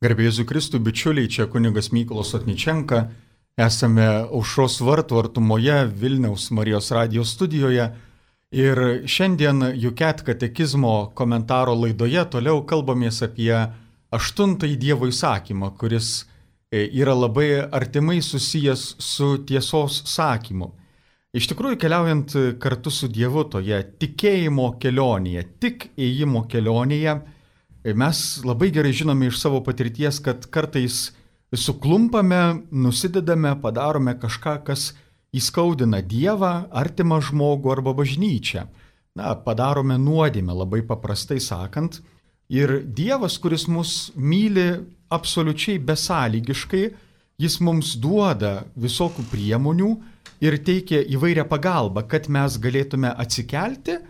Garbė Jėzui Kristui, bičiuliai, čia kunigas Mykolas Otničenka. Esame Aušros vartų artumoje Vilniaus Marijos radijos studijoje. Ir šiandien Juket katekizmo komentaro laidoje toliau kalbamės apie 8 Dievo įsakymą, kuris yra labai artimai susijęs su tiesos sakymu. Iš tikrųjų, keliaujant kartu su Dievu toje tikėjimo kelionėje, tik ėjimo kelionėje, mes labai gerai žinome iš savo patirties, kad kartais suklumpame, nusidedame, padarome kažką, kas įskaudina Dievą, artimą žmogų arba bažnyčią. Padarome nuodėmę, labai paprastai sakant. Ir Dievas, kuris mus myli absoliučiai besąlygiškai, jis mums duoda visokių priemonių ir teikia įvairią pagalbą, kad mes galėtume atsikelti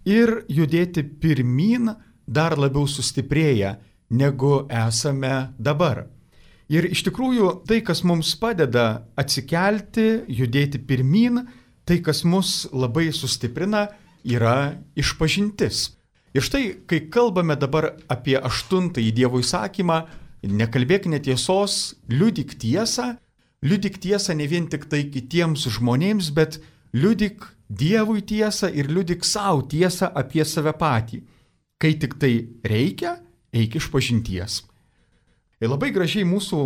ir judėti pirmyn, dar labiau sustiprėję, negu esame dabar. Ir iš tikrųjų tai, kas mums padeda atsikelti, judėti pirmyn, tai, kas mus labai sustiprina, yra išpažintis. Ir štai, kai kalbame dabar apie 8 Dievo įsakymą, nekalbėk netiesos, liudyk tiesą ne vien tik tai kitiems žmonėms, bet liudyk Dievui tiesą ir liudyk savo tiesą apie save patį. Kai tik tai reikia, eik išpažinties. Ir labai gražiai mūsų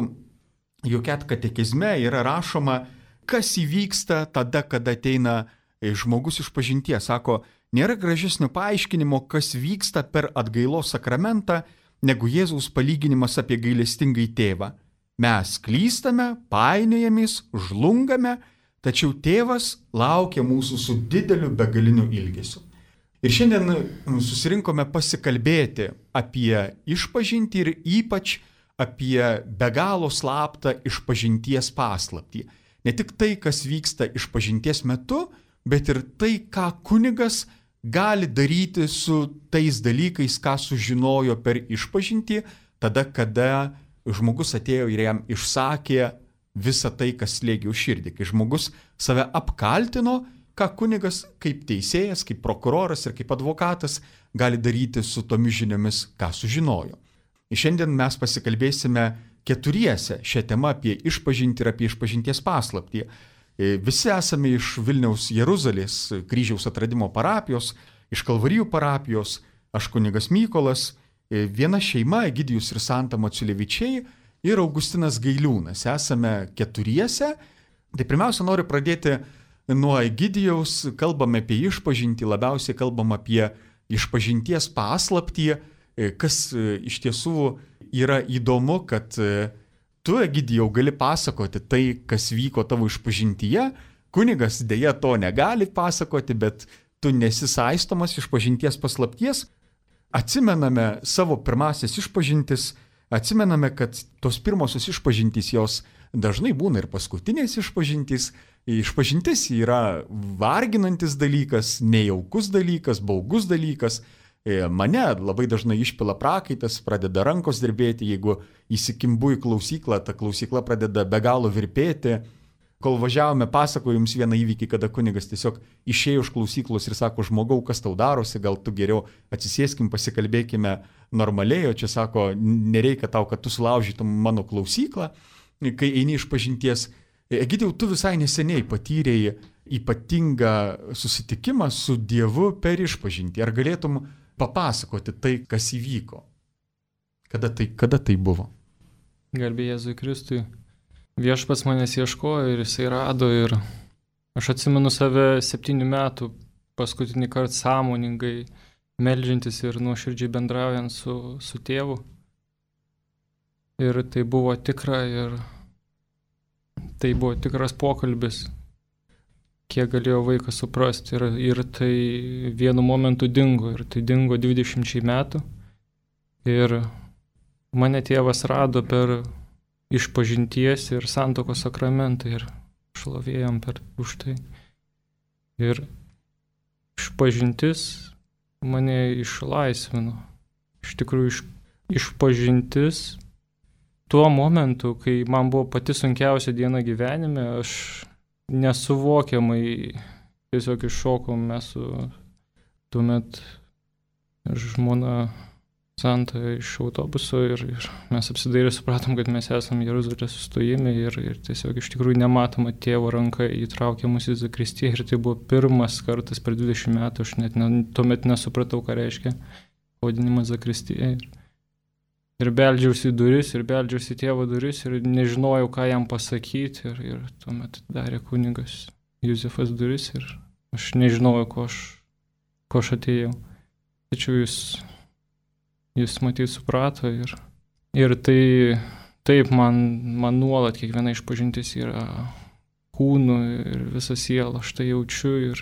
Juket katekizme yra rašoma, kas įvyksta tada, kada ateina žmogus išpažinties. Sako, nėra gražesnio paaiškinimo, kas vyksta per atgailos sakramentą, negu Jėzaus palyginimas apie gailestingąjį tėvą. Mes klystame, painiojamės, žlungame, tačiau tėvas laukia mūsų su dideliu begaliniu ilgesiu. Ir šiandien susirinkome pasikalbėti apie išpažintį ir ypač apie be galo slaptą išpažinties paslaptį. Ne tik tai, kas vyksta išpažinties metu, bet ir tai, ką kunigas gali daryti su tais dalykais, ką sužinojo per išpažintį, tada, kada žmogus atėjo ir jam išsakė visą tai, kas slėgė už širdį. Kai žmogus save apkaltino, ką kunigas kaip teisėjas, kaip prokuroras ir kaip advokatas gali daryti su tomis žiniomis, ką sužinojo. Ir šiandien mes pasikalbėsime keturiese šią temą apie išpažintį ir apie išpažinties paslaptį. Visi esame iš Vilniaus Jeruzalės kryžiaus atradimo parapijos, iš Kalvarijų parapijos, aš kunigas Mykolas, viena šeima, Egidijus ir Santa Maciulevičiai ir Augustinas Gailiūnas. Esame keturiese. Tai pirmiausia, noriu pradėti nuo Egidijaus, kalbame apie išpažintį, labiausiai kalbam apie išpažinties paslaptį, kas iš tiesų yra įdomu, kad tu, Egidijau, gali pasakoti tai, kas vyko tavo išpažintyje, kunigas dėja to negali pasakoti, bet tu nesi saistomas išpažinties paslapties. Atsimename savo pirmasias išpažintis, atsimename, kad tos pirmosios išpažintys jos dažnai būna ir paskutinės išpažintys. Išpažintis yra varginantis dalykas, nejaukus dalykas, baugus dalykas. Mane labai dažnai išpila prakaitas, pradeda rankos dirbėti, jeigu įsikimbu į klausyklą, ta klausykla pradeda be galo virpėti. Kol važiavome, pasakoju jums vieną įvykį, kada kunigas tiesiog išėjo iš klausyklos ir sako, žmogau, kas tau darosi, gal tu geriau atsisėskim, pasikalbėkime normaliai, o čia sako, nereikia tau, kad tu sulaužytum mano klausyklą, kai eini išpažinties. Egidijau, tu visai neseniai patyrėjai ypatingą susitikimą su Dievu per išpažintį. Ar galėtum papasakoti tai, kas įvyko? Kada tai buvo? Garbė Jėzui Kristui. Viešpats manęs ieškojo ir jisai rado ir aš atsimenu save 7 metų paskutinį kartą sąmoningai meldžiantis ir nuoširdžiai bendraujant su tėvu. Ir tai buvo tikra ir tai buvo tikras pokalbis, kiek galėjo vaikas suprasti. Ir tai vienu momentu dingo. Ir tai dingo 20 metų. Ir mane tėvas rado per išpažinties ir santuokos sakramentą ir šlovėjom už tai. Ir išpažintis mane išlaisvino. Iš tikrųjų, išpažintis tuo momentu, kai man buvo pati sunkiausia diena gyvenime, aš nesuvokiamai tiesiog iššokom mes su tuomet žmona Santą iš autobuso ir mes apsidairę supratom, kad mes esame Jeruzalės sustojime ir tiesiog iš tikrųjų nematoma tėvo ranka įtraukė mus į zakristiją ir tai buvo pirmas kartas per 20 metų, aš net tuomet nesupratau, ką reiškia pavadinimas zakristija. Ir beldžiausi į duris, ir beldžiausi į tėvo duris ir nežinojau, ką jam pasakyti ir tuomet darė kunigas Juzefas duris ir aš nežinojau, ko aš atėjau. Tačiau jis matyt suprato ir tai taip man nuolat kiekviena išpažintis yra kūnu ir visa siela, aš tai jaučiu ir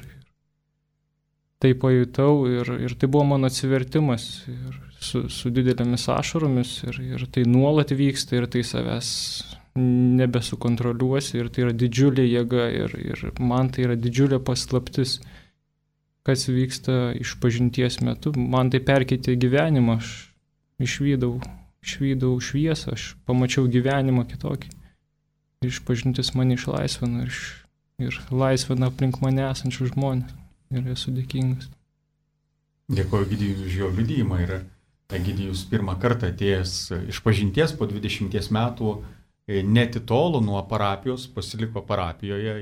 tai pajutau ir tai buvo mano atsivertimas ir su didelėmis ašaromis ir tai nuolat vyksta ir tai savęs nebesukontroliuosi ir tai yra didžiulė jėga ir man tai yra didžiulė paslaptis, kas vyksta išpažinties metu. Man tai perkeitė gyvenimą, aš išvydau šviesą, aš pamačiau gyvenimą kitokį. Išpažintis mane išlaisvino ir laisvina aplink mane esančių žmonės. Ir esu dėkingas. Dėkoju Egidijui už jo liudijimą. Ir Egidijus pirmą kartą atėjęs išpažinties po 20 metų netitolo nuo parapijos, pasiliko parapijoje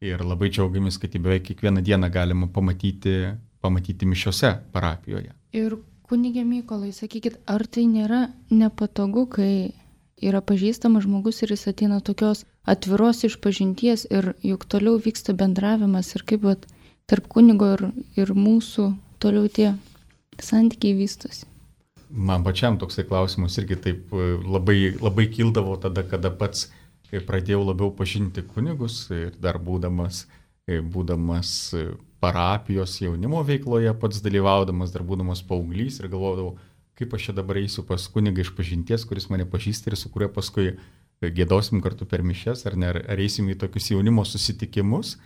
ir labai džiaugiamės, kad beveik kiekvieną dieną galima pamatyti mišiose parapijoje. Ir kunige Mykolai, sakykit, ar tai nėra nepatogu, kai yra pažįstamas žmogus ir jis ateina tokios atviros išpažinties ir juk toliau vyksta bendravimas ir kaip tarp kunigo ir mūsų toliau tie santykiai vystosi? Man pačiam toksai klausimas irgi taip labai, labai kildavo tada, kada pats pradėjau labiau pažinti kunigus ir dar būdamas parapijos jaunimo veikloje, pats dalyvaudamas, dar būdamas paauglys ir galvodavau, kaip aš čia dabar eisiu pas kunigą išpažinties, kuris mane pažįsta ir su kuriuo paskui giedosim kartu per mišias, ar eisim į tokius jaunimo susitikimus.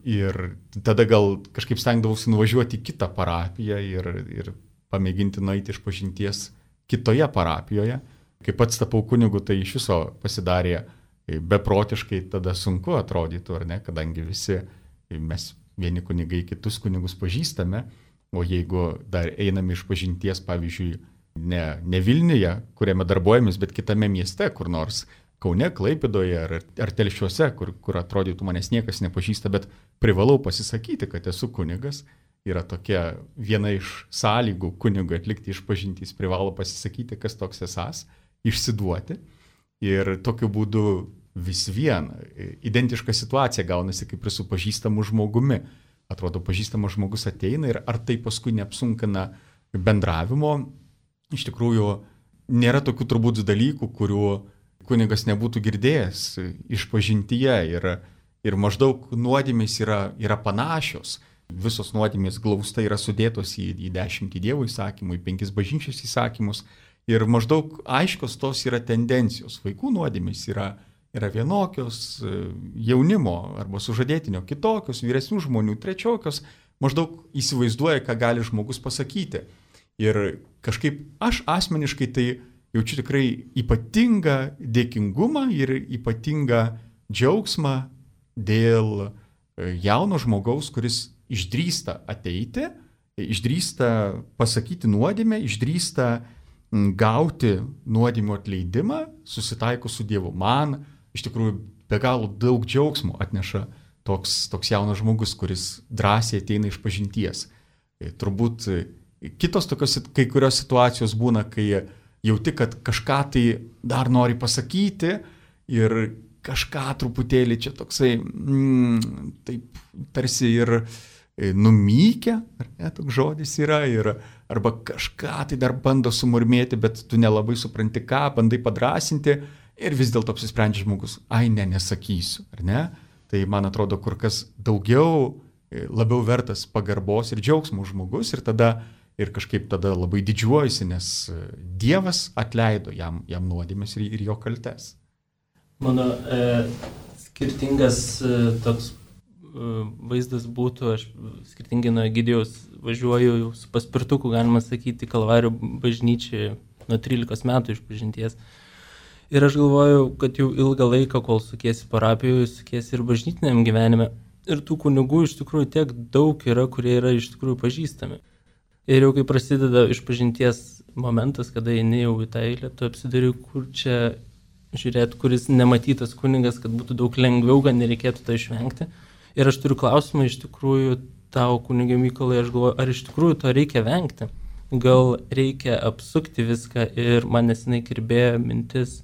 Ir tada gal kažkaip stengdavausi nuvažiuoti į kitą parapiją ir pamėginti nueiti išpažinties kitoje parapijoje. Kai pats tapau kunigu, tai iš viso pasidarė beprotiškai tada sunku atrodytų, ar ne, kadangi visi mes vieni kunigai kitus kunigus pažįstame, o jeigu dar einame išpažinties, pavyzdžiui, ne Vilniuje, kuriame darbuojamės, bet kitame mieste, kur nors Kaune, Klaipėdoje ar Telšiuose, kur atrodytų manęs niekas nepažįsta, bet privalau pasisakyti, kad esu kunigas, yra tokia viena iš sąlygų kunigui atlikti išpažintys, privalo pasisakyti, kas toks esas, išsiduoti. Ir tokiu būdu vis vien identiška situacija gaunasi kaip ir su pažįstamu žmogumi. Atrodo, pažįstamas žmogus ateina ir ar tai paskui neapsunkina bendravimo. Iš tikrųjų, nėra tokių turbūt dalykų, kurių kunigas nebūtų girdėjęs išpažintyje ir maždaug nuodėmės yra panašios. Visos nuodėmės glaustai yra sudėtos į 10 Dievo įsakymų, į 5 bažnyčios įsakymus ir maždaug aiškios tos yra tendencijos. Vaikų nuodėmės yra vienokios, jaunimo arba sužadėtinio kitokios, vyresnių žmonių trečiokios, maždaug įsivaizduoja, ką gali žmogus pasakyti. Ir kažkaip aš asmeniškai tai jaučiu tikrai ypatingą dėkingumą ir ypatingą džiaugsmą dėl jauno žmogaus, kuris išdrįsta ateiti, išdrįsta pasakyti nuodėmę, išdrįsta gauti nuodėmių atleidimą, susitaiko su Dievu. Man iš tikrųjų be galo daug džiaugsmo atneša toks jaunas žmogus, kuris drąsiai ateina išpažinties. Turbūt kitos tokios kai kurios situacijos būna, kai jauti, kad kažką tai dar nori pasakyti ir kažką truputėlį čia toksai, taip tarsi ir numykę, ar ne, toks žodis yra, arba kažką tai dar bando sumurmėti, bet tu nelabai supranti ką, bandai padrasinti ir vis dėlto apsisprendžia žmogus, nesakysiu, ar ne? Tai man atrodo kur kas labiau vertas pagarbos ir džiaugsmo žmogus ir kažkaip tada labai didžiuojasi, nes Dievas atleido jam nuodėmes ir jo kaltes. Mano skirtingas toks vaizdas būtų, aš skirtingai nuo Egidijaus važiuoju su paspirtuku, galima sakyti, Kalvarijų bažnyčiai nuo 13 metų išpažinties. Ir aš galvoju, kad jau ilgą laiką, kol sukiesi parapijoje, sukiesi ir bažnytiniam gyvenime. Ir tų kunigų iš tikrųjų tiek daug yra, kurie yra iš tikrųjų pažįstami. Ir jau kai prasideda išpažinties momentas, kada eini jau į tą eilę, tu apsidari, kur čia žiūrėti, kuris nematytas kunigas, kad būtų daug lengviau, kad nereikėtų to išvengti. Ir aš turiu klausimą iš tikrųjų tau, kunige Mykolai, aš galvoju, ar iš tikrųjų to reikia vengti? Gal reikia apsukti viską ir man nesenai kirbėjo mintis,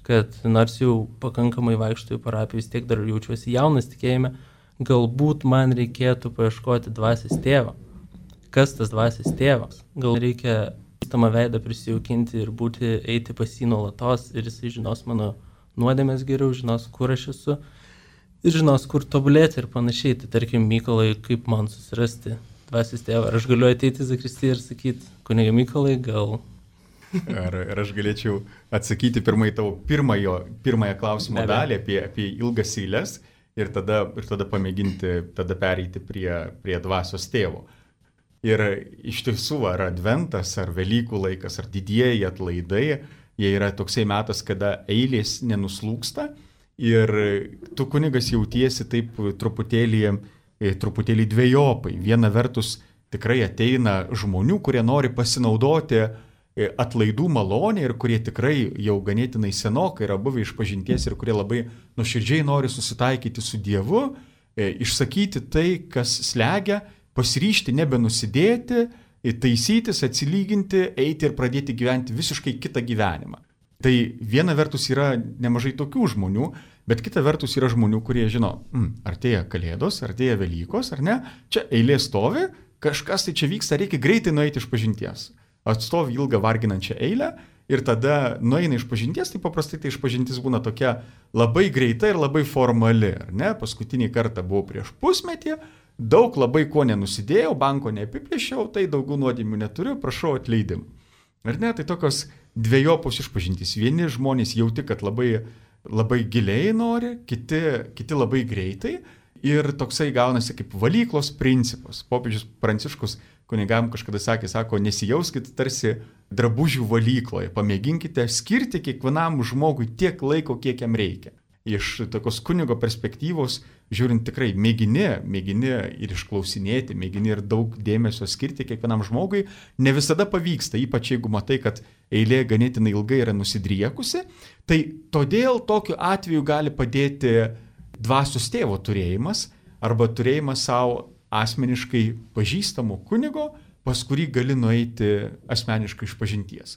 kad nors jau pakankamai vaikštų į parapiją, vis tiek dar jaučiuosi jaunas tikėjime, galbūt man reikėtų paieškoti dvasios tėvo. Kas tas dvasios tėvas? Gal reikia tamą veidą prisijaukinti ir eiti pas jį nuolatos ir jisai žinos mano nuodėmės geriau, žinos, kur aš esu ir žinos, kur tobulėti ir panašiai. Tai tarkim, Mykolai, kaip man susirasti dvasios tėvą? Ar aš galiu ateiti į zakristiją ir sakyti, kunige Mykolai, gal... Ar aš galėčiau atsakyti pirmąją klausimo dalį apie ilgas eiles ir tada pamėginti pereiti prie dvasios tėvo. Ir iš tiesų, ar adventas, ar Velykų laikas, ar didieji atlaidai, jie yra toksai metas, kada eilės nenuslūksta ir tu kunigas jautiesi taip truputėlį dvejopai. Viena vertus tikrai ateina žmonių, kurie nori pasinaudoti atlaidų malonė ir kurie tikrai jau ganėtinai senokai yra buvę išpažinties ir kurie labai nuoširdžiai nori susitaikyti su Dievu, išsakyti tai, kas slegia, pasiryžti nebenusidėti, taisytis, atsilyginti, eiti ir pradėti gyventi visiškai kitą gyvenimą. Tai viena vertus yra nemažai tokių žmonių, bet kita vertus yra žmonių, kurie žino, artėja Kalėdos, artėja Velykos, ar ne, čia eilė stovi, kažkas tai čia vyksta, reikia greitai nueiti išpažinties. Atstovi ilgą varginančią eilę ir tada nueina išpažinties, tai paprastai tai išpažintis būna tokia labai greita ir labai formali, ar ne, paskutinį kartą buvau prieš pusmetį, daug labai ko nenusidėjau, banko neapiplėšiau, tai daugiau nuodėmių neturiu, prašau atleidimų. Ar ne, tai tokios dviejopos išpažintys. Vieni žmonės jauti, kad labai giliai nori, kiti labai greitai ir toksai gaunasi kaip valyklos principas. Popiežius Pranciškus kunigam kažkada sako, nesijauskit tarsi drabužių valykloje, pamėginkite skirti kiekvienam žmogui tiek laiko, kiek jam reikia. Iš tokios kunigo perspektyvos, žiūrint tikrai, mėgini ir išklausinėti, mėgini ir daug dėmesio skirti kiekvienam žmogui, ne visada pavyksta, ypač jeigu matai, kad eilė ganėtinai ilgai yra nusidriekusi, tai todėl tokiu atveju gali padėti dvasios tėvo turėjimas arba turėjimas savo asmeniškai pažįstamo kunigo, pas kurį gali nueiti asmeniškai išpažinties.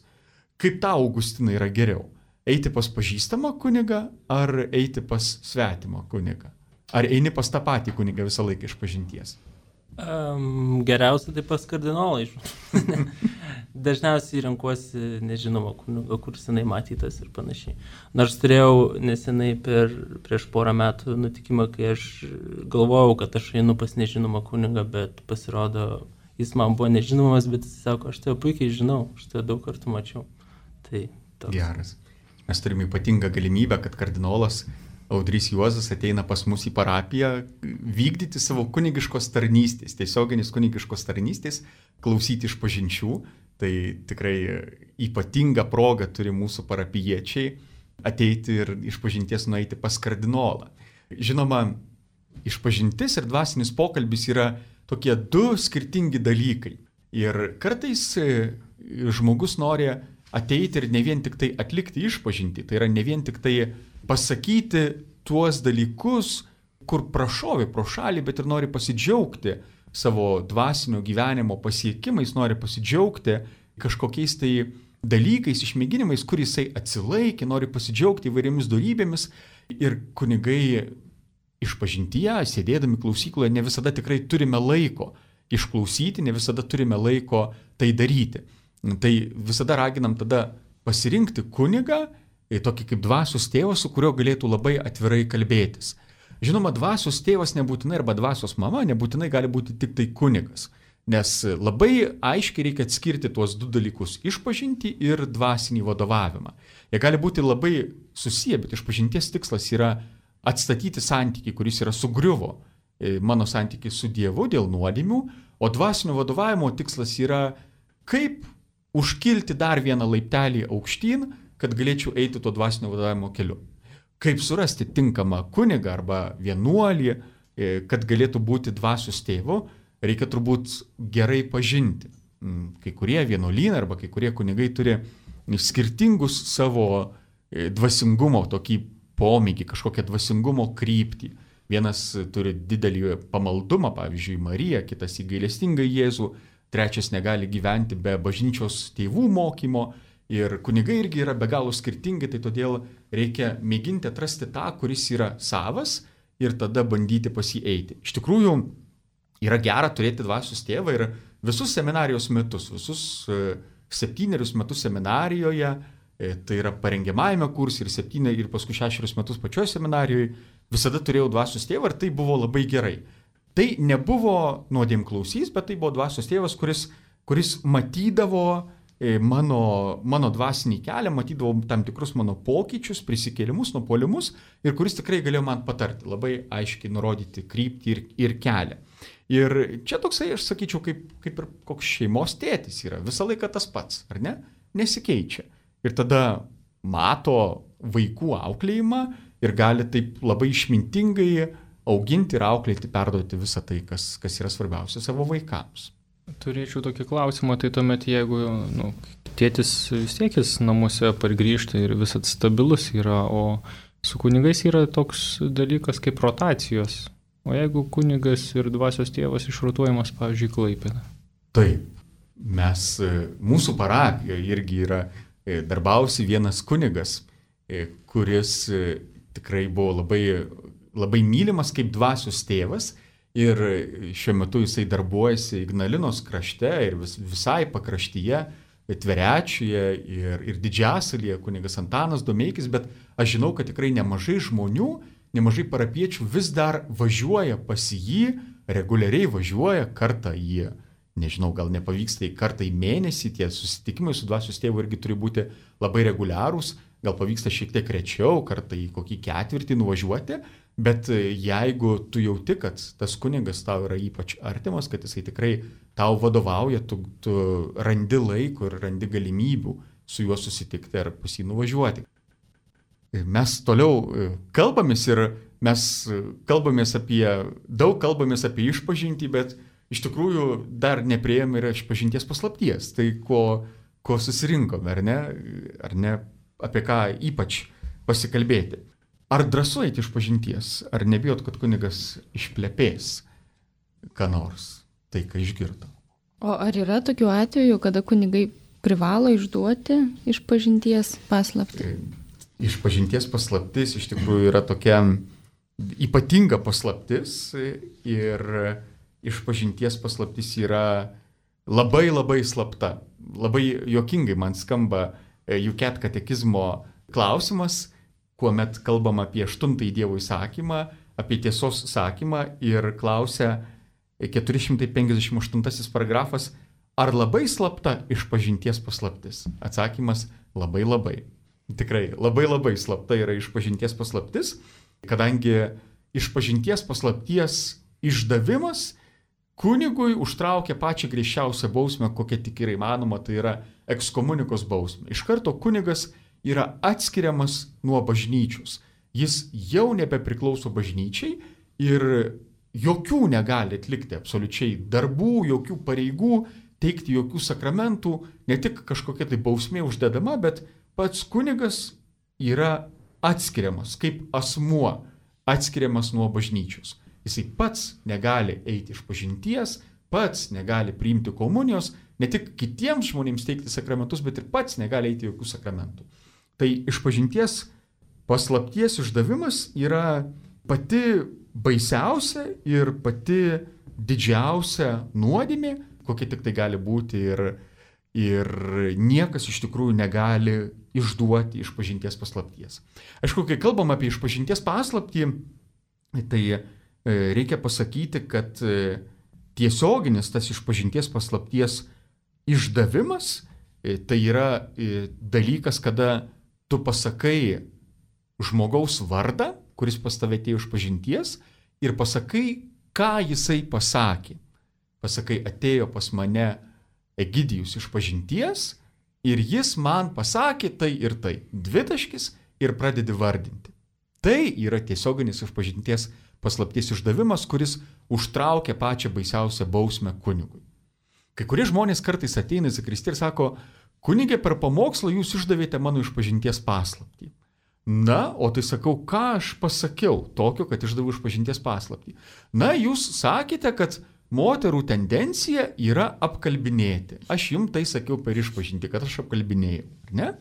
Kaip tau, Augustinai, yra geriau? Eiti pas pažįstamą kunigą ar eiti pas svetimą kunigą? Ar eini pas tą patį kunigą visą laiką išpažinties? Geriausia tai pas kardinolai. Dažniausiai renkuosi nežinomą kunigą, kur senai matytas ir panašiai. Nors turėjau nesenai prieš porą metų nutikimą, kai aš galvojau, kad aš einu pas nežinomą kunigą, bet pasirodo, jis man buvo nežinomas, bet jis sako, aš tave puikiai žinau, aš tave daug kartų mačiau. Tai toks. Geras. Mes turime ypatingą galimybę, kad kardinolas Audrys Juozas ateina pas mus į parapiją vykdyti savo kunigiškos tarnystės, tiesioginis kunigiškos tarnystės, klausyti išpažinčių. Tai tikrai ypatinga proga turi mūsų parapijiečiai ateiti ir išpažinties nueiti pas kardinolą. Žinoma, išpažintis ir dvasinis pokalbis yra tokie du skirtingi dalykai. Ir kartais žmogus nori ateiti ir ne vien tik tai atlikti išpažintį, tai yra ne vien tik tai pasakyti tuos dalykus, kur prašovi pro šalį, bet ir nori pasidžiaugti savo dvasinio gyvenimo pasiekimais, nori pasidžiaugti kažkokiais tai dalykais, išmėginimais, kur jisai atsilaikė, nori pasidžiaugti įvairiomis dorybėmis ir kunigai išpažintyje, sėdėdami klausykloje, ne visada tikrai turime laiko išklausyti, ne visada turime laiko tai daryti. Tai visada raginam tada pasirinkti kunigą, tokį kaip dvasios tėvas, su kuriuo galėtų labai atvirai kalbėtis. Žinoma, dvasios tėvas nebūtinai arba dvasios mama nebūtinai gali būti tik tai kunigas, nes labai aiškiai reikia atskirti tuos du dalykus - išpažintį ir dvasinį vadovavimą. Jie gali būti labai susiję, bet išpažinties tikslas yra atstatyti santykį, kuris yra sugriuvo, mano santykį su Dievu dėl nuodėmių, o dvasinio vadovavimo tikslas yra kaip užkilti dar vieną laiptelį aukštyn, kad galėčiau eiti to dvasinio vadovavimo keliu. Kaip surasti tinkamą kunigą arba vienuolį, kad galėtų būti dvasios tėvu, reikia turbūt gerai pažinti. kai kurie vienuolynai arba kai kurie kunigai turi skirtingus savo dvasingumo tokį pomėgį, kažkokią dvasingumo kryptį. Vienas turi didelį pamaldumą, pavyzdžiui, Mariją, kitas į gailestingą Jėzų, trečias negali gyventi be bažnyčios tėvų mokymo. Ir kunigai irgi yra be galo skirtingi, tai todėl reikia mėginti atrasti tą, kuris yra savas ir tada bandyti pas jį eiti. Iš tikrųjų, yra gera turėti dvasios tėvą ir visus seminarijos metus, visus 7 metus seminarijoje, tai yra parengiamajame kurse ir paskui 6 metus pačioje seminarijoje, visada turėjau dvasios tėvą ir tai buvo labai gerai. Tai nebuvo nuodėmklausys, bet tai buvo dvasios tėvas, kuris matydavo mano dvasinį kelią, matydavo tam tikrus mano pokyčius, prisikėlimus, nupuolimus ir kuris tikrai galėjo man patarti, labai aiškiai nurodyti kryptį ir kelią. Ir čia toksai, aš sakyčiau, kaip ir koks šeimos tėtis yra, visą laiką tas pats, ar ne? Nesikeičia. Ir tada mato vaikų auklėjimą ir gali taip labai išmintingai auginti ir auklėti, perduoti visą tai, kas yra svarbiausia savo vaikams. Turėčiau tokį klausimą, tai tuomet jeigu tėtis vis tiek jis namuose pargrįžta ir visat stabilus yra, o su kunigais yra toks dalykas kaip rotacijos. O jeigu kunigas ir dvasios tėvas išrotuojamas, pavyzdžiui, Klaipėda? Taip, mūsų parapijoje irgi yra darbavosi vienas kunigas, kuris tikrai buvo labai, labai mylimas kaip dvasios tėvas. Ir šiuo metu jisai darbuojasi Ignalinos krašte ir visai pakraštyje, Tverečiuje ir Didžiasalyje, kunigas Antanas Domeikis, bet aš žinau, kad tikrai nemažai žmonių, nemažai parapiečių vis dar važiuoja pas jį, reguliariai važiuoja kartą į, nežinau, gal nepavyksta į kartą į mėnesį, tie susitikimai su dvasios tėvu irgi turi būti labai reguliarūs, gal pavyksta šiek tiek rečiau, kartą į kokį ketvirtį nuvažiuoti. Bet jeigu tu jauti, kad tas kunigas tau yra ypač artimas, kad jisai tikrai tau vadovauja, tu randi laiko ir randi galimybių su juo susitikti ar pas jį nuvažiuoti. Mes toliau kalbamės ir mes kalbamės apie išpažintį, bet iš tikrųjų dar nepriėjome ir išpažinties paslapties. Tai ko susirinkome, ar ne, apie ką ypač pasikalbėti. Ar drąsu eiti išpažinties, ar nebijot, kad kunigas išplepės ką nors, tai ką išgirdo? O ar yra tokių atvejų, kada kunigai privalo išduoti išpažinties paslaptį? Išpažinties paslaptis iš tikrųjų yra tokia ypatinga paslaptis ir išpažinties paslaptis yra labai labai slapta. Labai juokingai man skamba UCAT katekizmo klausimas, kuomet kalbam apie 8 Dievo įsakymą, apie tiesos sakymą ir klausia 458 paragrafas, ar labai slapta išpažinties paslaptis? Atsakymas - labai labai. Tikrai labai labai slapta yra išpažinties paslaptis, kadangi išpažinties paslapties išdavimas kunigui užtraukia pačią griežčiausią bausmę, kokia tik yra įmanoma, tai yra ekskomunikos bausmė. Iš karto kunigas yra atskiriamas nuo bažnyčios. Jis jau nebepriklauso bažnyčiai ir jokių negali atlikti absoliučiai darbų, jokių pareigų, teikti jokių sakramentų, ne tik kažkokia tai bausmė uždedama, bet pats kunigas yra atskiriamas kaip asmuo, atskiriamas nuo bažnyčios. Jisai pats negali eiti išpažinties, pats negali priimti komunijos, ne tik kitiems žmonėms teikti sakramentus, bet ir pats negali eiti jokių sakramentų. Tai išpažinties paslapties išdavimas yra pati baisiausia ir pati didžiausia nuodėmė, kokia tik tai gali būti ir niekas iš tikrųjų negali išduoti išpažinties paslapties. Aišku, kai kalbam apie išpažinties paslaptį, tai reikia pasakyti, kad tiesioginis tas išpažinties paslapties išdavimas tai yra dalykas, kada tu pasakai žmogaus vardą, kuris pas tave atėjo išpažinties, ir pasakai, ką jisai pasakė. Pasakai, atėjo pas mane Egidijus išpažinties ir jis man pasakė tai ir tai. Dvitaškis ir pradedi vardinti. Tai yra tiesioginis išpažinties paslapties išdavimas, kuris užtraukia pačią baisiausią bausmę kunigui. Kai kurie žmonės kartais ateina į zakristiją ir sako, kunigė, per pamokslą jūs išdavėte mano išpažinties paslaptį. Na, o tai sakau, ką aš pasakiau tokio, kad išdaviau išpažinties paslaptį? Na, jūs sakėte, kad moterų tendencija yra apkalbinėti. Aš jums tai sakiau per išpažinti, kad aš apkalbinėjau, ar ne?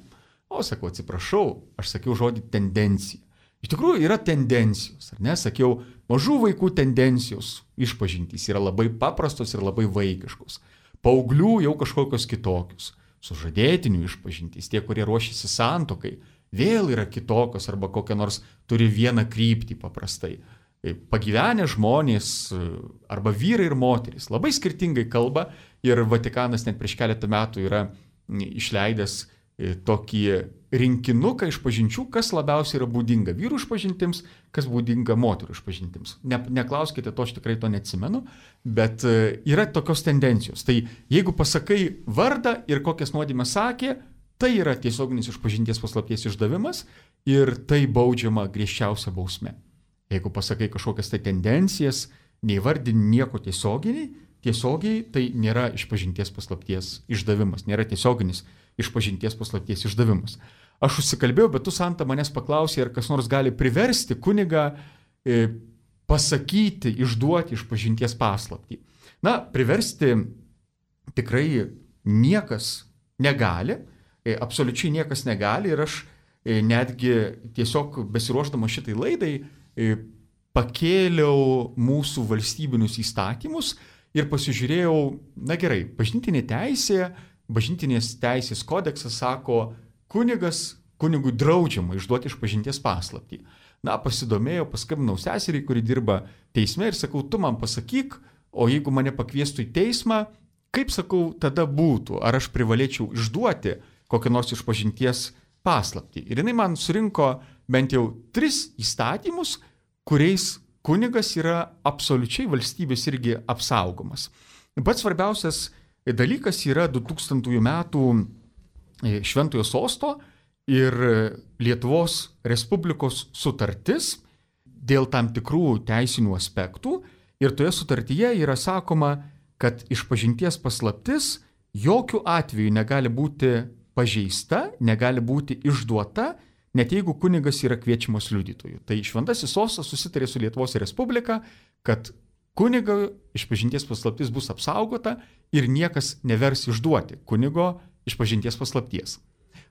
O sakau, atsiprašau, aš sakiau žodį tendencija. Iš tikrųjų yra tendencijos, ar ne? Sakiau, mažų vaikų tendencijos išpažintys yra labai paprastos ir labai vaikiškos. Paauglių jau kažkokios kitokios. Sužadėtinių išpažintys, tie, kurie ruošiasi santuokai, vėl yra kitokios arba kokią nors turi vieną kryptį paprastai. Pagyvenę žmonės arba vyrai ir moterys labai skirtingai kalba ir Vatikanas net prieš keletą metų yra išleidęs tokį rinkinuką išpažinčių, kas labiausiai yra būdinga vyrų išpažintims, kas būdinga moterų išpažintims. Neklauskite to, aš tikrai to neatsimenu, bet yra tokios tendencijos. Tai jeigu pasakai vardą ir kokias nuodėmes sakė, tai yra tiesioginis išpažinties paslapties išdavimas ir tai baudžiama griežčiausia bausme. Jeigu pasakai kažkokias tai tendencijas, neįvardini nieko tiesiogiai, tai nėra išpažinties paslapties išdavimas, nėra tiesioginis išpažinties paslapties išdavimas. Aš užsikalbėjau, bet tu, Santa, manęs paklausė, ar kas nors gali priversti kunigą pasakyti, išduoti išpažinties paslaptį. Na, priversti tikrai niekas negali, absoliučiai niekas negali ir aš netgi tiesiog besiruošdama šitai laidai pakėliau mūsų valstybinius įstatymus ir pasižiūrėjau, na gerai, bažnytinės teisės kodeksas sako, kunigui draudžiama išduoti išpažinties paslaptį. Na, pasidomėjau, paskambinau seseriai, kuri dirba teisme ir sakau, tu man pasakyk, o jeigu mane pakviestų į teismą, kaip sakau, tada būtų, ar aš privalėčiau išduoti kokią nors išpažinties paslaptį. Ir jinai man surinko bent jau 3 įstatymus, kuriais kunigas yra absoliučiai valstybės irgi apsaugomas. Pats svarbiausias dalykas yra 2000 metų Šventojo Sosto ir Lietuvos Respublikos sutartis dėl tam tikrų teisinių aspektų. Ir toje sutartyje yra sakoma, kad išpažinties paslaptis jokių atveju negali būti pažeista, negali būti išduota, net jeigu kunigas yra kviečiamas liudytojų. Tai Šventasis Sostas susitarė su Lietuvos Respublika, kad kunigo išpažinties paslaptis bus apsaugota ir niekas nevers išduoti kunigo išpažinties paslapties.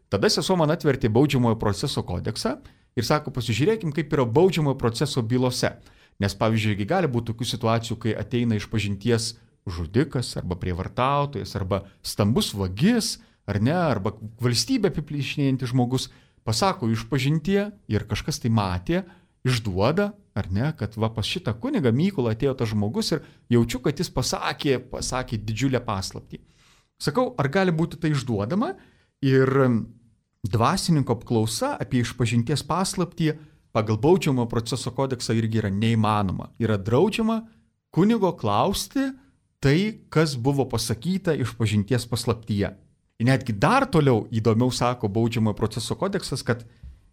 Tada sesuo man atvertė baudžiamojo proceso kodeksą ir sako, pasižiūrėkim, kaip yra baudžiamojo proceso bylose. Nes, pavyzdžiui, gali būti tokių situacijų, kai ateina išpažinties žudikas arba prievartautojas arba stambus vagis, ar ne, arba valstybė apiplėšinėjantis žmogus, pasako išpažintie ir kažkas tai matė, išduoda, ar ne, kad va pas šitą kunigą Mykolą atėjo tas žmogus ir jaučiu, kad jis pasakė didžiulę paslaptį. Sakau, ar gali būti tai išduodama? Ir dvasininko apklausa apie išpažinties paslaptį pagal baudžiamojo proceso kodeksą irgi yra neįmanoma. Yra draudžiama kunigo klausti tai, kas buvo pasakyta išpažinties paslaptyje. Ir netgi dar toliau įdomiau sako baudžiamojo proceso kodeksas, kad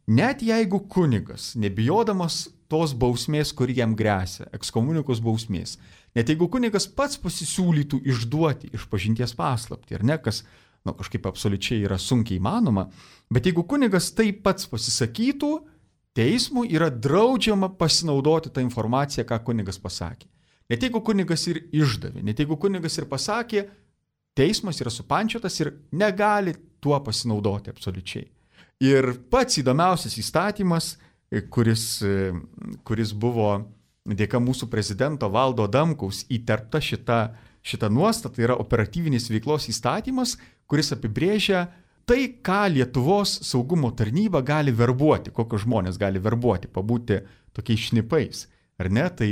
net jeigu kunigas, nebijodamas tos bausmės, kuri jam gresia, ekskomunikos bausmės, net jeigu kunigas pats pasisiūlytų išduoti išpažinties paslaptį, ar ne, kas kažkaip absoliučiai yra sunkiai įmanoma, bet jeigu kunigas taip pats pasisakytų, teismui yra draudžiama pasinaudoti tą informaciją, ką kunigas pasakė. Net jeigu kunigas ir išdavė, net jeigu kunigas ir pasakė, teismas yra supančiotas ir negali tuo pasinaudoti absoliučiai. Ir pats įdomiausias įstatymas, kuris buvo dėka mūsų prezidento Valdo Adamkaus įterpta šita nuostata, yra operatyvinės veiklos įstatymas, kuris apibrėžia tai, ką Lietuvos saugumo tarnyba gali verbuoti, kokios žmonės gali verbuoti, pabūti tokiais šnipais. Ar ne? Tai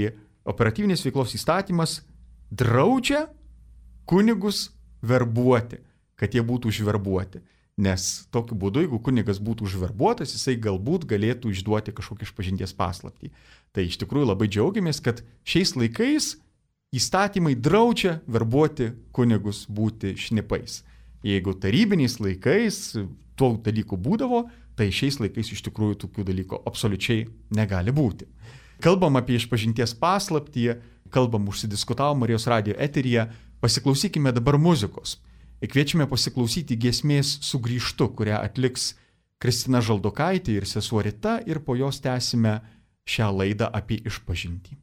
operatyvinės veiklos įstatymas draudžia kunigus verbuoti, kad jie būtų užverbuoti. Nes tokiu būdu, jeigu kunigas būtų užverbuotas, jisai galbūt galėtų išduoti kažkokį išpažinties paslaptį. Tai iš tikrųjų labai džiaugiamės, kad šiais laikais įstatymai draudžia verbuoti kunigus būti šnipais. Jeigu tarybiniais laikais tų dalykų būdavo, tai šiais laikais iš tikrųjų tokių dalykų absoliučiai negali būti. Kalbam apie išpažinties paslaptį, užsidiskutavom Marijos radijo eteryje, Pasiklausykime dabar muzikos. Kviečiame pasiklausyti giesmės Sugrįžtu, kurią atliks Kristina Žaldokaitė ir sesuo Rita, ir po jos tęsime šią laidą apie išpažintį.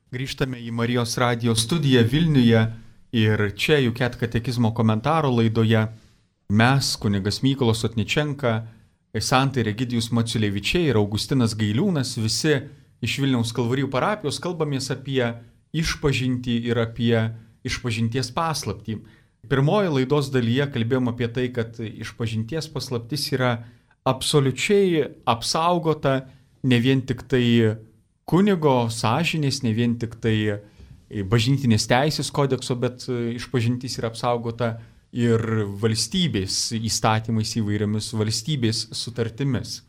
Grįžtame į Marijos radijo studiją Vilniuje ir čia UCAT katekizmo komentaro laidoje mes, kunigas Mykolas Sotničenka, Santa ir Egidijus Maciulevičiai ir Augustinas Gailiūnas, visi iš Vilniaus Kalvarijų parapijos kalbamės apie išpažintį ir apie išpažinties paslaptį. Pirmoje laidos dalyje kalbėjom apie tai, kad išpažinties paslaptis yra absoliučiai apsaugota ne vien tik tai kunigo sąžinės, ne vien tik tai bažnytinės teisės kodekso, bet išpažintis yra apsaugota ir valstybės įstatymais įvairiomis valstybės sutartimis.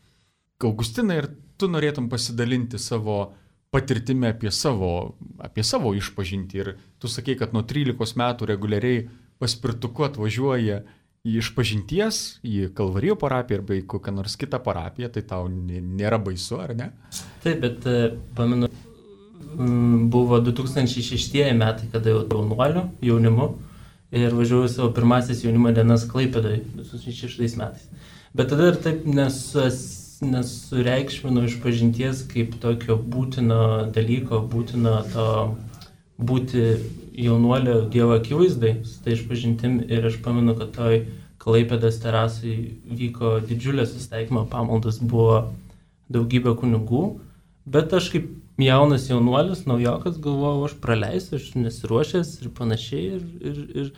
Augustinai, ir tu norėtum pasidalinti savo patirtimi apie savo išpažintį. Ir tu sakei, kad nuo 13 metų reguliariai paspirtuku atvažiuoja į išpažinties, į Kalvarijų parapiją arba į kokią nors kitą parapiją, tai tau nėra baisu, ar ne? Taip, bet pamenu, buvo 2006 metai, kada jau jaunuoliu, jaunimu, ir važiavau savo pirmasis jaunimo dienas Klaipėdoje 2006 metais. Bet tada ir taip nesureikšminu išpažinties kaip tokio būtino dalyko, būtino to būti jaunuolio Dievo akivaizdai su tai išpažintim. Ir aš pamenu, kad toj Klaipėdos terasai vyko didžiulės susitaikymo pamaldos, buvo daugybė kunigų, bet aš kaip jaunas jaunuolis, naujokas, galvojau, aš praleisiu, aš nesiruošęs ir panašiai.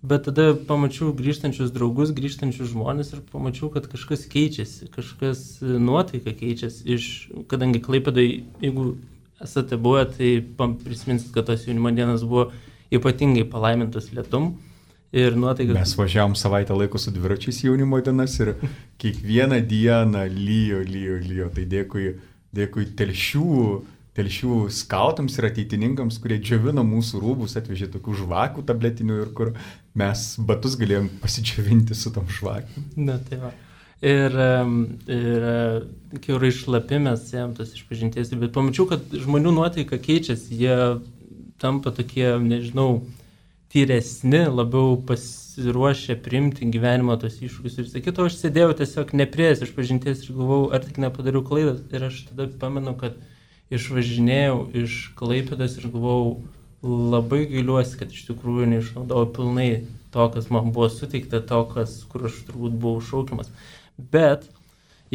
Bet tada pamačiau grįžtančius draugus, grįžtančius žmonės ir pamačiau, kad kažkas keičiasi, kažkas nuotaika keičiasi. Kadangi Klaipėdai, jeigu esate buvę, tai prisiminsit, kad tos jaunimo dienos buvo ypatingai palaimintos lietum. Ir nuotaika... Mes važiavom savaitę laiko su dviračiais jaunimo dienas ir kiekvieną dieną lyjo. Tai dėkui telšių skautams ir ateitininkams, kurie džiovino mūsų rūbus, atvežė tokių žvakių tabletinių ir kur mes batus galėjom pasidžiovinti su tom žvakiam. Na, tai va. Ir kiaurai šlapi mes ėjom tos išpažinties, bet pamačiau, kad žmonių nuotaika keičiasi, jie tampa tokie, nežinau, tyresni, labiau pasiruošę priimti gyvenimo tos iššūkius ir sakytų, aš sėdėjau tiesiog nepriėjęs išpažinties ir galvojau, ar tik nepadariau klaidas. Ir aš tada pamenu, kad išvažinėjau iš Klaipėdos ir galvojau, labai gailiuosi, kad iš tikrųjų neišnaudojau pilnai to, kas man buvo suteikta, to, kur aš turbūt buvau šaukiamas. Bet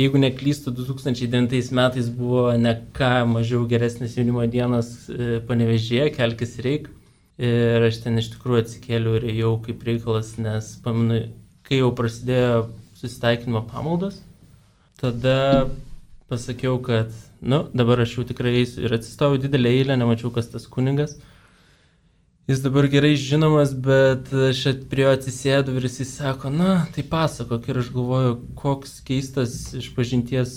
jeigu neklystu, 2009 metais buvo ne ką mažiau geresnis jaunimo dienos Panevėžyje, Kelkis reik. Ir aš ten iš tikrųjų atsikėliau ir ėjau kaip reikalas, nes pamenu, kai jau prasidėjo susitaikinimo pamaldos, tada pasakiau, kad, dabar aš jau tikrai eisiu ir atsistojau didelę eilę, nemačiau, kas tas kunigas. Jis dabar gerai žinomas, bet aš prie jo atsisėdu ir jis sako, tai pasakok. Ir aš galvoju, koks keistas išpažinties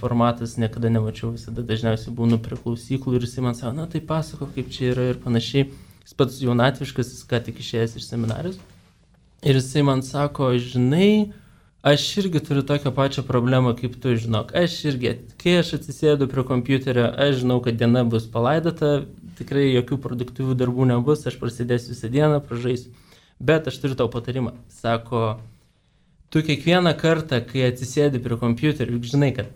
formatas, niekada nemačiau, visada dažniausiai būnu prie klausyklų ir jis man sako, tai pasakok, kaip čia yra ir panašiai. Jis pats jaunatviškas, jis ką tik išėjęs iš seminarijos. Ir jisai man sako, žinai, aš irgi turiu tokią pačią problemą, kaip tu, žinok. Aš irgi, kai aš atsisėdu prie kompiuterio, aš žinau, kad diena bus palaidota, tikrai jokių produktyvių darbų nebus, aš prasidėsiu visą dieną, pražaisiu. Bet aš turiu tau patarimą. Sako, tu kiekvieną kartą, kai atsisėdi prie kompiuterio, juk žinai, kad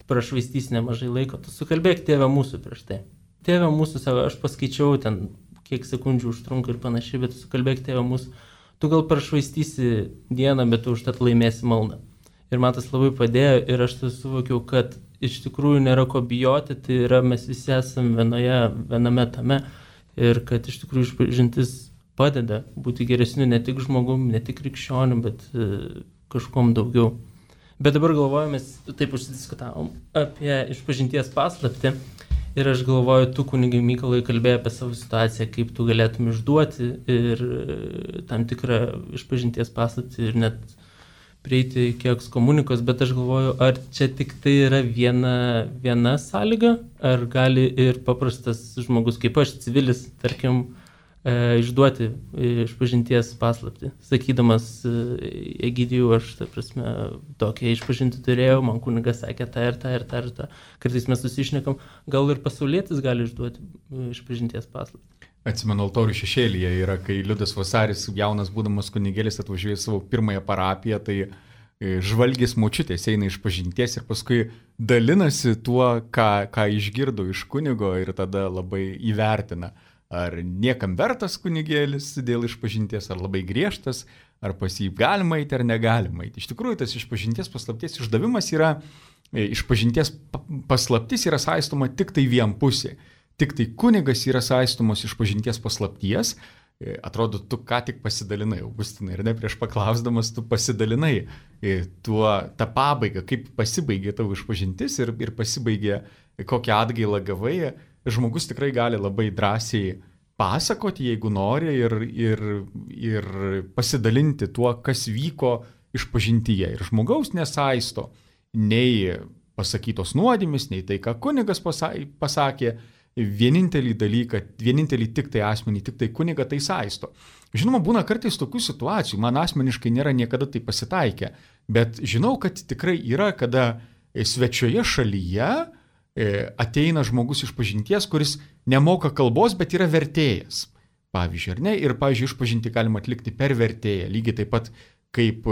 prašvaistys nemažai laiko, tu sukalbėk Tėve mūsų prieš tai. Tėve mūsų, sako, aš paskaičiau ten, kiek sekundžių užtrunka ir panašiai, bet tu sukalbėk Tėve mūsų. Tu gal prašvaistysi dieną, bet tu užtat laimėsi maldą. Ir man tas labai padėjo ir aš tai suvokiau, kad iš tikrųjų nėra ko bijoti, tai yra mes visi esame viename tame ir kad iš tikrųjų išpažintis padeda būti geresniu ne tik žmogum, ne tik krikščioniu, bet kažkom daugiau. Bet dabar galvojame, mes taip užsidiskutavom apie išpažinties paslaptį. Ir aš galvoju, tu, kunigai Mykolai, kalbėjai apie savo situaciją, kaip tu galėtum išduoti ir tam tikrą išpažinties paslaptį ir net prieiti iki ekskomunikos, bet aš galvoju, ar čia tik tai yra viena sąlyga, ar gali ir paprastas žmogus, kaip aš, civilis, tarkim, išduoti išpažinties paslaptį. Sakydamas, Egidijų, aš, ta prasme, tokią išpažinti turėjau, man kunigas sakė tą ir tą. Kartais mes susišnekam, gal ir pasaulietis gali išduoti išpažinties paslaptį. Atsimenu, altorių šešėlyje yra, kai Liudas Vasaris, jaunas būdamas kunigėlis, atvažiuoja savo pirmąją parapiją, tai žvalgės močiutės eina išpažinties ir paskui dalinasi tuo, ką išgirdo iš kunigo ir tada labai įvertina. Ar niekam vertas kunigėlis dėl išpažinties, ar labai griežtas, ar pas jį galima eiti, ar negalima eiti. Iš tikrųjų, tas išpažinties paslapties išdavimas yra, išpažinties paslaptis yra saistoma tik tai vienpusė. Tik tai kunigas yra saistomos išpažinties paslapties. Atrodo, tu ką tik pasidalinai, Augustinai, ir ne prieš paklausdamas, tu pasidalinai tą pabaigą, kaip pasibaigė tavo išpažintis ir pasibaigė, kokią atgailą gavai. Žmogus tikrai gali labai drąsiai pasakoti, jeigu nori, ir pasidalinti tuo, kas vyko išpažintyje. Ir žmogaus nesaisto nei pasakytos nuodėmės, nei tai, ką kunigas pasakė. Vienintelį tik tai asmenį, tik tai kunigą tai saisto. Žinoma, būna kartais tokių situacijų, man asmeniškai nėra niekada tai pasitaikę, bet žinau, kad tikrai yra, kada svečioje šalyje ateina žmogus išpažinties, kuris nemoka kalbos, bet yra vertėjas. Pavyzdžiui, ar ne? Ir, pavyzdžiui, išpažinti galima atlikti per vertėją. Lygiai taip pat kaip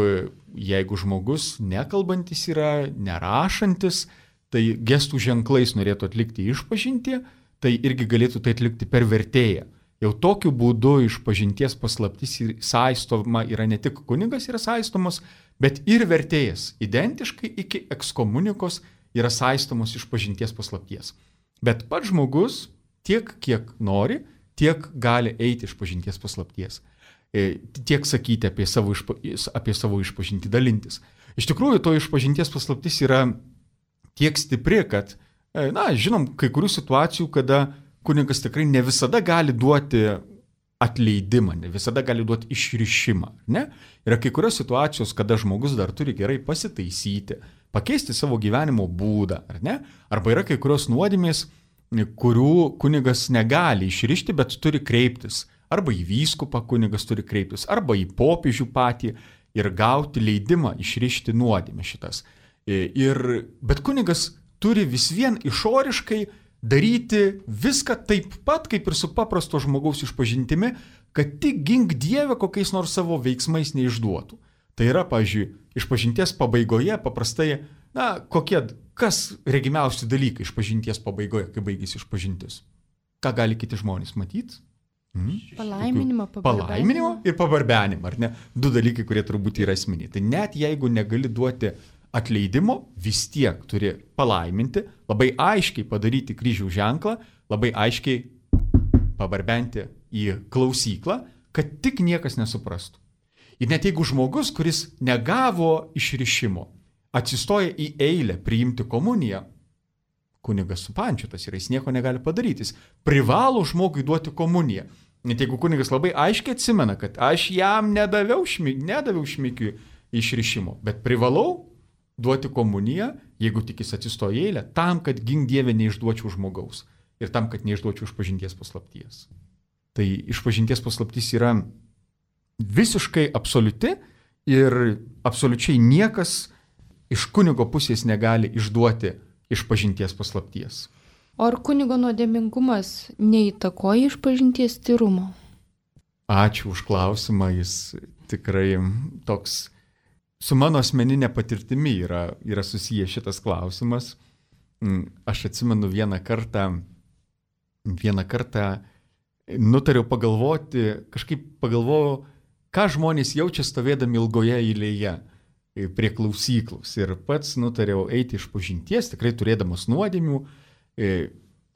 jeigu žmogus nekalbantis yra, nerašantis, tai gestų ženklais norėtų atlikti išpažintį, tai irgi galėtų tai atlikti per vertėją. Jau tokiu būdu išpažinties paslaptis saistoma yra ne tik kunigas yra saistomas, bet ir vertėjas. Identiškai iki ekskomunikos yra saistomos išpažinties paslapties. Bet pats žmogus tiek, kiek nori, tiek gali eiti išpažinties paslapties. Tiek sakyti apie savo išpažintį, dalintis. Iš tikrųjų, to išpažinties paslaptis yra tiek stipri, kad, žinom, kai kurių situacijų, kada kunigas tikrai ne visada gali duoti atleidimą, ne visada gali duoti išrišimą. Ne? Yra kai kurios situacijos, kada žmogus dar turi gerai pasitaisyti, pakeisti savo gyvenimo būdą, ar ne? Arba yra kai kurios nuodėmės, kurių kunigas negali išrišti, bet turi kreiptis. Arba į vyskupą kunigas turi kreiptis, arba į popiežių patį ir gauti leidimą išrišti nuodėmę šitas. Bet kunigas turi vis vien išoriškai daryti viską taip pat, kaip ir su paprasto žmogaus išpažintimi, kad tik gink Dievę kokiais nors savo veiksmais neišduotų. Tai yra, pavyzdžiui, išpažinties pabaigoje paprastai, kas regimiausi dalykai išpažinties pabaigoje, kai baigėsi išpažintis? Ką gali kiti žmonės matyti? Palaiminimą ir pabarbenimą, ar ne? 2 dalykai, kurie turbūt yra esminiai. Tai net jeigu negali duoti atleidimo, vis tiek turi palaiminti, labai aiškiai padaryti kryžiaus ženklą, labai aiškiai pabarbenti į klausyklą, kad tik niekas nesuprastų. Ir net jeigu žmogus, kuris negavo išrišimo, atsistoja į eilę priimti komuniją, kunigas supančiotas yra, jis nieko negali padaryti, jis privalo žmogui duoti komuniją. Net jeigu kunigas labai aiškiai atsimena, kad aš jam nedaviau šmikiui išrišimo, bet privalau duoti komuniją, jeigu tik jis atsistoja į eilę, tam, kad gink Dievę neišduočiau žmogaus ir tam, kad neišduočiau išpažinties paslapties. Tai išpažinties paslaptis yra visiškai absoliuti ir absoliučiai niekas iš kunigo pusės negali išduoti išpažinties paslapties. O ar kunigo nuodėmingumas neįtakoja išpažinties tyrumo? Ačiū už klausimą, jis tikrai toks su mano asmeninė patirtimi yra susijęs šitas klausimas. Aš atsimenu vieną kartą nutariau pagalvojau, ką žmonės jaučia stovėdami ilgoje eilėje prie klausyklos. Ir pats nutariau eiti išpažinties, tikrai turėdamas nuodėmių.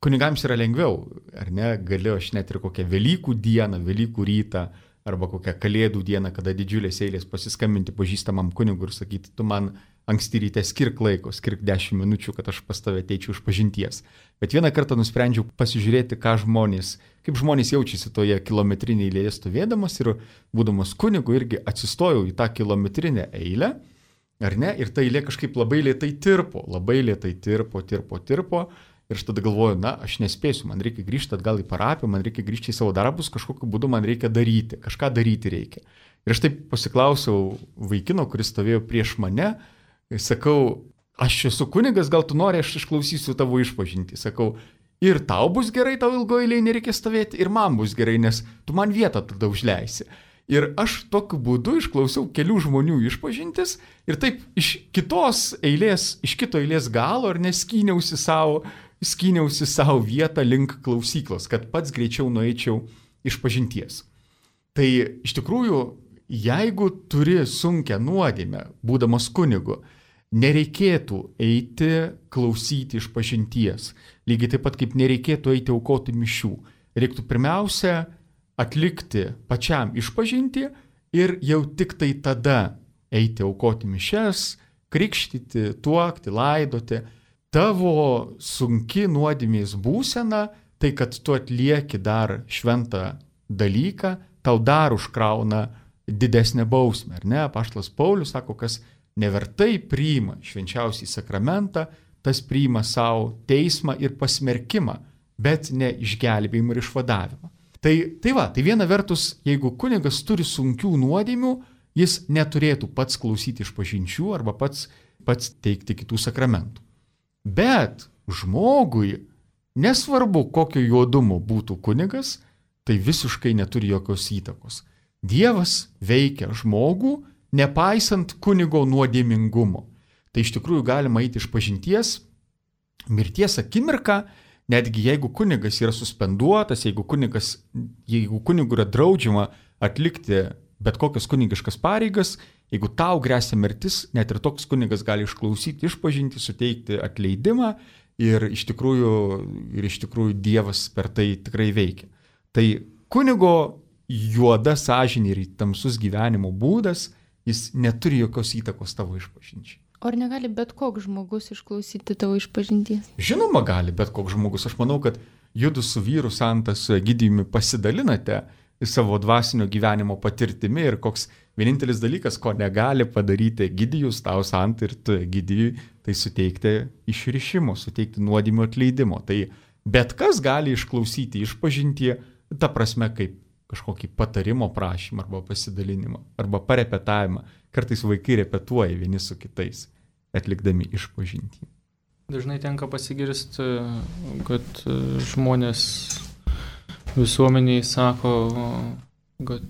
Kunigams yra lengviau, ar ne? Galiu aš net ir kokią Velykų dieną, Velykų rytą, arba kokią Kalėdų dieną, kada didžiulės eilės pasiskambinti pažįstamam kunigui ir sakyti, tu man anksti ryte skirk laiko, skirk 10 minučių, kad aš pas tave ateičiau išpažinties. Bet vieną kartą nusprendžiau pasižiūrėti, kaip žmonės jaučiasi toje kilometrinėje eilėje stovėdamas ir būdamas kunigu irgi atsistojau į tą kilometrinę eilę, ar ne? Ir ta eilė kažkaip labai lėtai tirpo. Ir aš tada galvoju, aš nespėsiu, man reikia grįžti atgal į parapiją, man reikia grįžti į savo darbus, kažkokiu būdu man reikia daryti, kažką daryti reikia. Ir aš taip pasiklausiau vaikino, kuris stovėjo prieš mane, sakau, aš esu kunigas, gal tu nori, aš išklausysiu tavo išpažintį. Sakau, ir tau bus gerai, tau ilgoje eilėje nereikia stovėti, ir man bus gerai, nes tu man vietą tada užleisi. Ir aš tokiu būdu išklausiau kelių žmonių išpažintis ir taip iš kito eilės galo ar neskyniausi savo vietą link klausyklos, kad pats greičiau nueičiau išpažinties. Tai iš tikrųjų, jeigu turi sunkią nuodėmę, būdamas kunigu, nereikėtų eiti klausyti išpažinties. Lygiai taip pat kaip nereikėtų eiti aukoti mišių. Reiktų pirmiausia atlikti pačiam išpažinti ir jau tik tai tada eiti aukoti mišias, krikštyti, tuokti, laidoti. Tavo sunki nuodėmės būsena, tai kad tu atlieki dar šventą dalyką, tau dar užkrauna didesnę bausmę, ar ne? Apaštalas Paulius sako, kas nevertai priima švenčiausią sakramentą, tas priima savo teismą ir pasmerkimą, bet ne išgelbėjimą ir išvadavimą. Tai viena vertus, jeigu kunigas turi sunkių nuodėmių, jis neturėtų pats klausyti išpažinčių arba pats teikti kitų sakramentų. Bet žmogui, nesvarbu kokio juodumo būtų kunigas, tai visiškai neturi jokios įtakos. Dievas veikia žmogų nepaisant kunigo nuodėmingumo. Tai iš tikrųjų galima eiti iš pažinties, mirties akimirką, netgi jeigu kunigas yra suspenduotas, jeigu kunigui yra draudžiama atlikti bet kokias kunigiškas pareigas, jeigu tau gresia mirtis, net ir toks kunigas gali išklausyti išpažinti, suteikti atleidimą ir iš tikrųjų Dievas per tai tikrai veikia. Tai kunigo juoda sąžinė ir tamsus gyvenimo būdas, jis neturi jokios įtakos tavo išpažinčiai. O ar negali bet koks žmogus išklausyti tavo išpažinties? Žinoma, gali bet koks žmogus. Aš manau, kad judu su vyru Santas Egidijumi pasidalinate savo dvasinio gyvenimo patirtimi ir koks vienintelis dalykas, ko negali padaryti Egidijus, tau Santa ir tu Egidijui, tai suteikti išrišimo, suteikti nuodėmių atleidimo. Tai bet kas gali išklausyti išpažintį, ta prasme kaip kažkokį patarimo prašymą arba pasidalinimą arba parepetavimą. Kartais vaikai repetuoja vieni su kitais, atlikdami išpažintį. Dažnai tenka pasigirsti, kad žmonės visuomeniai sako, kad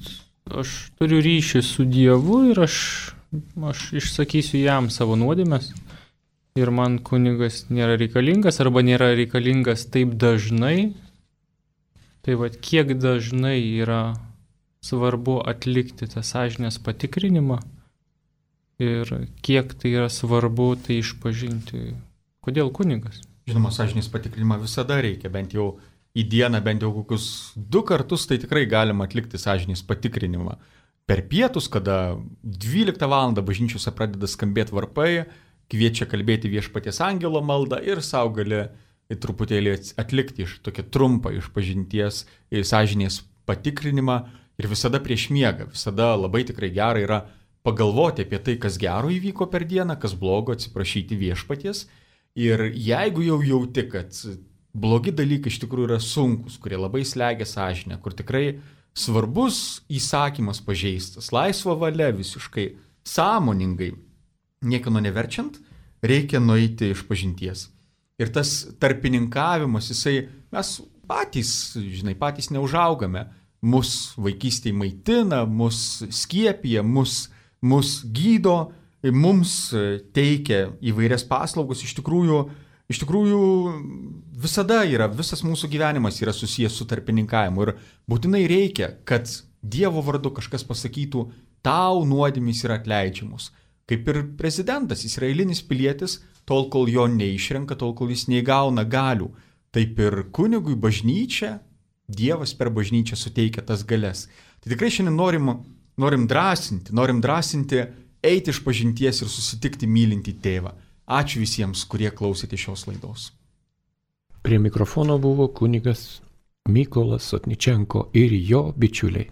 aš turiu ryšį su Dievu ir aš išsakysiu jam savo nuodėmes ir man kunigas nėra reikalingas arba nėra reikalingas taip dažnai. Tai vat kiek dažnai yra svarbu atlikti tą sąžinės patikrinimą ir kiek tai yra svarbu tai išpažinti. Kodėl kunigas? Žinoma, sąžinės patikrinimą visada reikia, bent jau į dieną, bent jau kokius 2 kartus, tai tikrai galima atlikti sąžinės patikrinimą. Per pietus, kada 12 val. Bažnyčiose pradeda skambėti varpai, kviečia kalbėti viešpaties angelo maldą ir sau gali truputėlį atlikti tokią trumpą išpažinties sąžinės patikrinimą ir visada prieš miegą. Visada labai tikrai gera yra pagalvoti apie tai, kas gero įvyko per dieną, kas blogo, atsiprašyti viešpaties. Ir jeigu jau jauti, kad blogi dalykai iš tikrųjų yra sunkus, kurie labai slegia sąžinę, kur tikrai svarbus įsakymas pažeistas, laisva valia visiškai, sąmoningai, niekieno neverčiant, reikia nueiti išpažinties. Ir tas tarpininkavimas, mes patys neužaugame, mus vaikystėje maitina, mus skiepija, mus gydo, mums teikia įvairias paslaugas, iš tikrųjų visada visas mūsų gyvenimas yra susijęs su tarpininkavimu ir būtinai reikia, kad Dievo vardu kažkas pasakytų, tau nuodėmės yra atleidžiamos. Kaip ir prezidentas, jis yra eilinis pilietis, tol kol jo neišrenka, tol kol jis neįgauna galių. Taip ir kunigui bažnyčia, Dievas per bažnyčią suteikia tas galias. Tai tikrai šiandien norim drąsinti, eiti iš pažinties ir susitikti mylintį tėvą. Ačiū visiems, kurie klausėte šios laidos. Prie mikrofono buvo kunigas Mykolas Sotničenko ir jo bičiuliai.